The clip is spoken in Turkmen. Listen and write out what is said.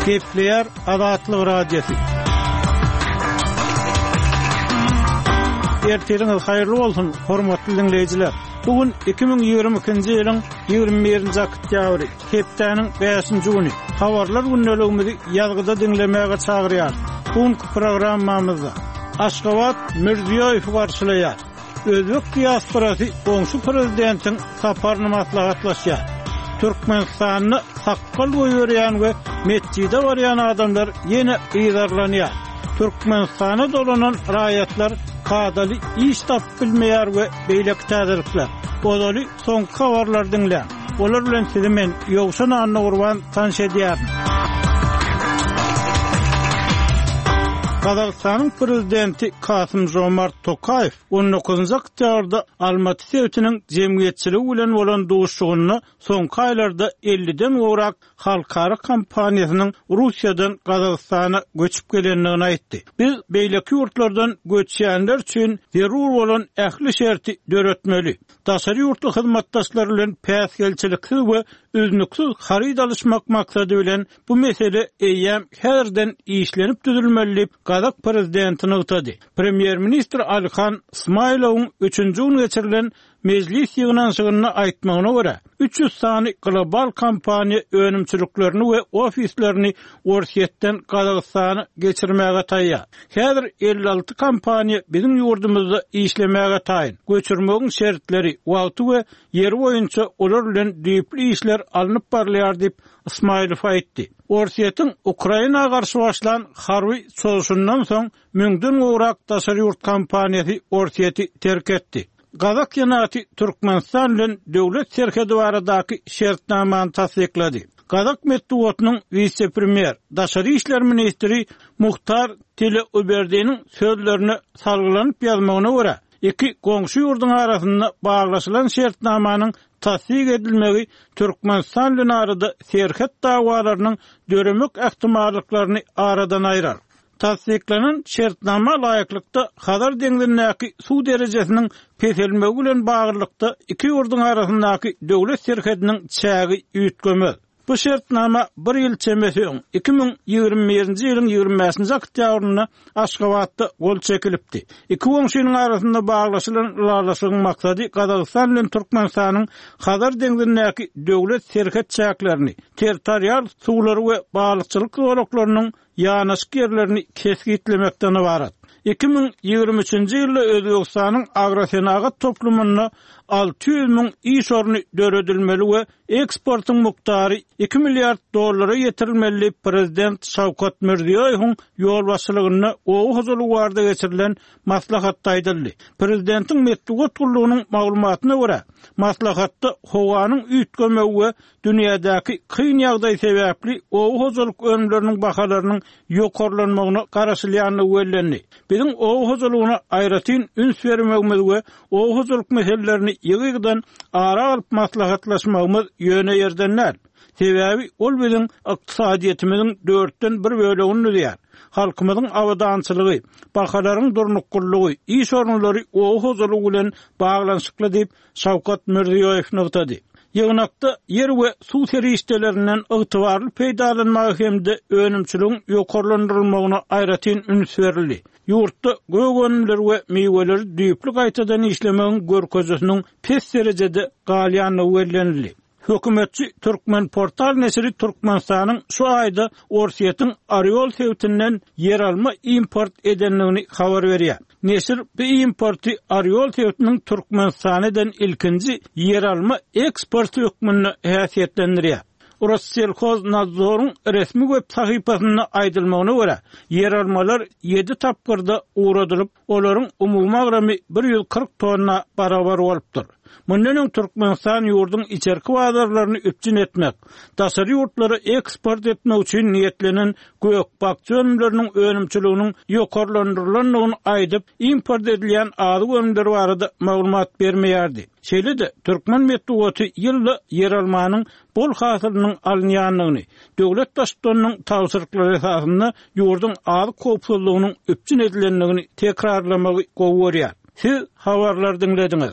Gepleýär Azatlyk Radiosy. Ertiriňiz haýyrly bolsun, hormatly diňleýjiler! Bu gün 2022-nji ýylyň 21-nji oktýabry, hepdäniň bäşinji güni. Habarlar gündeligimizi ýazgyda diňlemäge çagyrýarys. Bu günki programmamyzda Aşgabat Mirziýoýewi garşylaýar. Özbek diasporasy goňşy prezidentiň saparyny maslahatlaşýar. Türkmenistanda sakgal goýberýän we metjide barýan adamlar ýene yzarlanýar. Türkmenistana dolanan raýatlar kadaly iş tapyp bilmeýär we beýleki täzelikler. Ozaly soňky habarlary diňläň. Olar bilen sizi men, Ýowşan Annagurban tanyş edýärin. Gazagystanyň prezidenti Kasym-Žomart Tokaýew on dokuzynjy oktýabrda Almaty sebitiniň jemgyýetçiligi bilen bolan duşuşygynda soňky aýlarda elliden gowrak halkara kompaniýasynyň Russiýadan Gazagystana göçüp gelendigini aýtdy. Biz beýleki ýurtlardan göçýänler üçin zerur bolan ähli şerti döretmeli. Daşary ýurtly hyzmatdaşlar bilen päsgelçiliksiz we üznüksiz haryt alyşmak maksady bilen bu mesele eýýäm häzirden işlenip düzülmeli diýip, gazak prezidenti nygtady. Premýer-ministr Alihan Smaýlowyň üçünji gün geçirilen Mejlis ýygnanyşygynda aýtmagyna görä, 300 sany global kompaniýa önümçiliklerini we ofislerini Orsýetden Gazagystana geçirmäge taýýar. Häzir 56 kompaniýa biziň ýurdumyzda işlemäge taýyn. Göçürmegiň şertleri, wagty we ýeri boýunça olar bilen düýpli işler alnyp barylýar diýip, Ysmaýylow aýtdy. Orsýetiň Ukraina garşy başlan harby çozuşyndan soň müňden gowrak daşary ýurt kompaniýasy Orsýeti terk etdi. Gazak Senaty Türkmenistan bilen döwlet serhedi baradaky şertnamany tassyklady. Gazak metbugatynyň wise-premýer, daşary işler ministri Muhtar Tileuberdiniň sözlerine salgylanyp ýazmagyna görä, iki goňşy ýurduň arasynda baglaşylan şertnamanyň tassyk edilmegi Türkmenistan bilen arada serhet dawalarynyň döremek ähtimallyklaryny aradan aýrar. Tassyklanan şertnama laýyklykda, Hazar deňzindäki suw derejesiniň peselmegi bilen baglylykda iki ýurduň arasyndaky döwlet serhediniň çägi üýtgemez. Bu şertnama bir ýyl çemesi öň, 2021-nji ýylyň 25-nji oktýabrynda Aşgabatda gol çekilipdi. Iki goňşynyň arasynda baglaşylan ylalaşygyň maksady Gazagystan bilen Türkmenistanyň Hazar deňzindäki döwlet serhet çäklerini, territorial suwlary we balykçylyk zolaklarynyň ýanaşyk ýerlerini kesgitlemekden ybarat. 2023-nji ýylda Özbegistanyň agrosenagat toplumynda 600 müň iş orny döredilmeli we eksportyň mukdary iki milliard dollara ýetirilmeli diýip, prezident Şawkat Mirziýoýewiň ýolbaşçylygynda oba hojalygy barada geçirilen maslahatda aýdyldy. Prezidentiň metbugat gullugynyň maglumatyna görä, maslahatda howanyň üýtgemegi we Dünýädäki kyn ýagdaý sebäpli oba hojalyk önümleriniň bahalarynyň ýokarlanmagyna garaşylýandygy bellendi. Biziň oba hojalygyna aýratyn üns bermegimiz we oba hojalyk meselelerini ýygy-ýygydan ara alyp maslahatlaşmagymyz ýöne ýerden däl. Sebäbi ol biziň ykdysadyýetimiziň dörtden bir bölegini düzýär. Halkymyzyň abadançylygy, bahalaryň durnuklylygy, iş orunlary oba hojalygy bilen baglanyşykly diýip, Şawkat Mirziýoýew nygtady. Ýygnakda ýer we suw serişdelerinden ygtybarly peýdalanmaga hem-de önümçiligiň ýokarlandyrylmagyna aýratyn üns berildi. Ýurtda gök önümleri we miweleri düýpli gaýtadan işlemegiň görkezijisiniň pes derejede galýandygy bellenildi. Hökümetçi Türkmenportal neşiri Türkmenistanyň şu aýda Orsýetiň Orýol sebitinden ýeralma import edendigini habar berýär. Neşir bu importy Orýol sebitiniň Türkmenistana eden ilkinji ýeralma eksporty hökmünde häsiýetlendirýär. Rosselhoznadzoryň resmi web sahypasynda aýdylmagyna görä, ýeralmalar ýedi tapgyrda ugradylyp, olaryň umumy agramy 140 tonna barabar bolupdyr. Mundan öň Türkmenistan ýurduň içerki bazarlaryny üpjün etmek, daşary ýurtlara eksport etmek üçin niýetlenen gök-bakja önümleriniň önümçiliginiň ýokarlandyrylandygyny aýdyp, import edilýän azyk önümleri barada maglumat bermeýärdi. Şeýle-de, türkmen metbugaty ýylda ýeralmanyň bol hasylynyň alynýandygyny, döwlet Baştutanynyň tabşyryklary esasynda ýurduň azyk howpsuzlygynyň üpjün edilendigini tekrarlamagy gowy görýär. Siz habarlary diňlediňiz.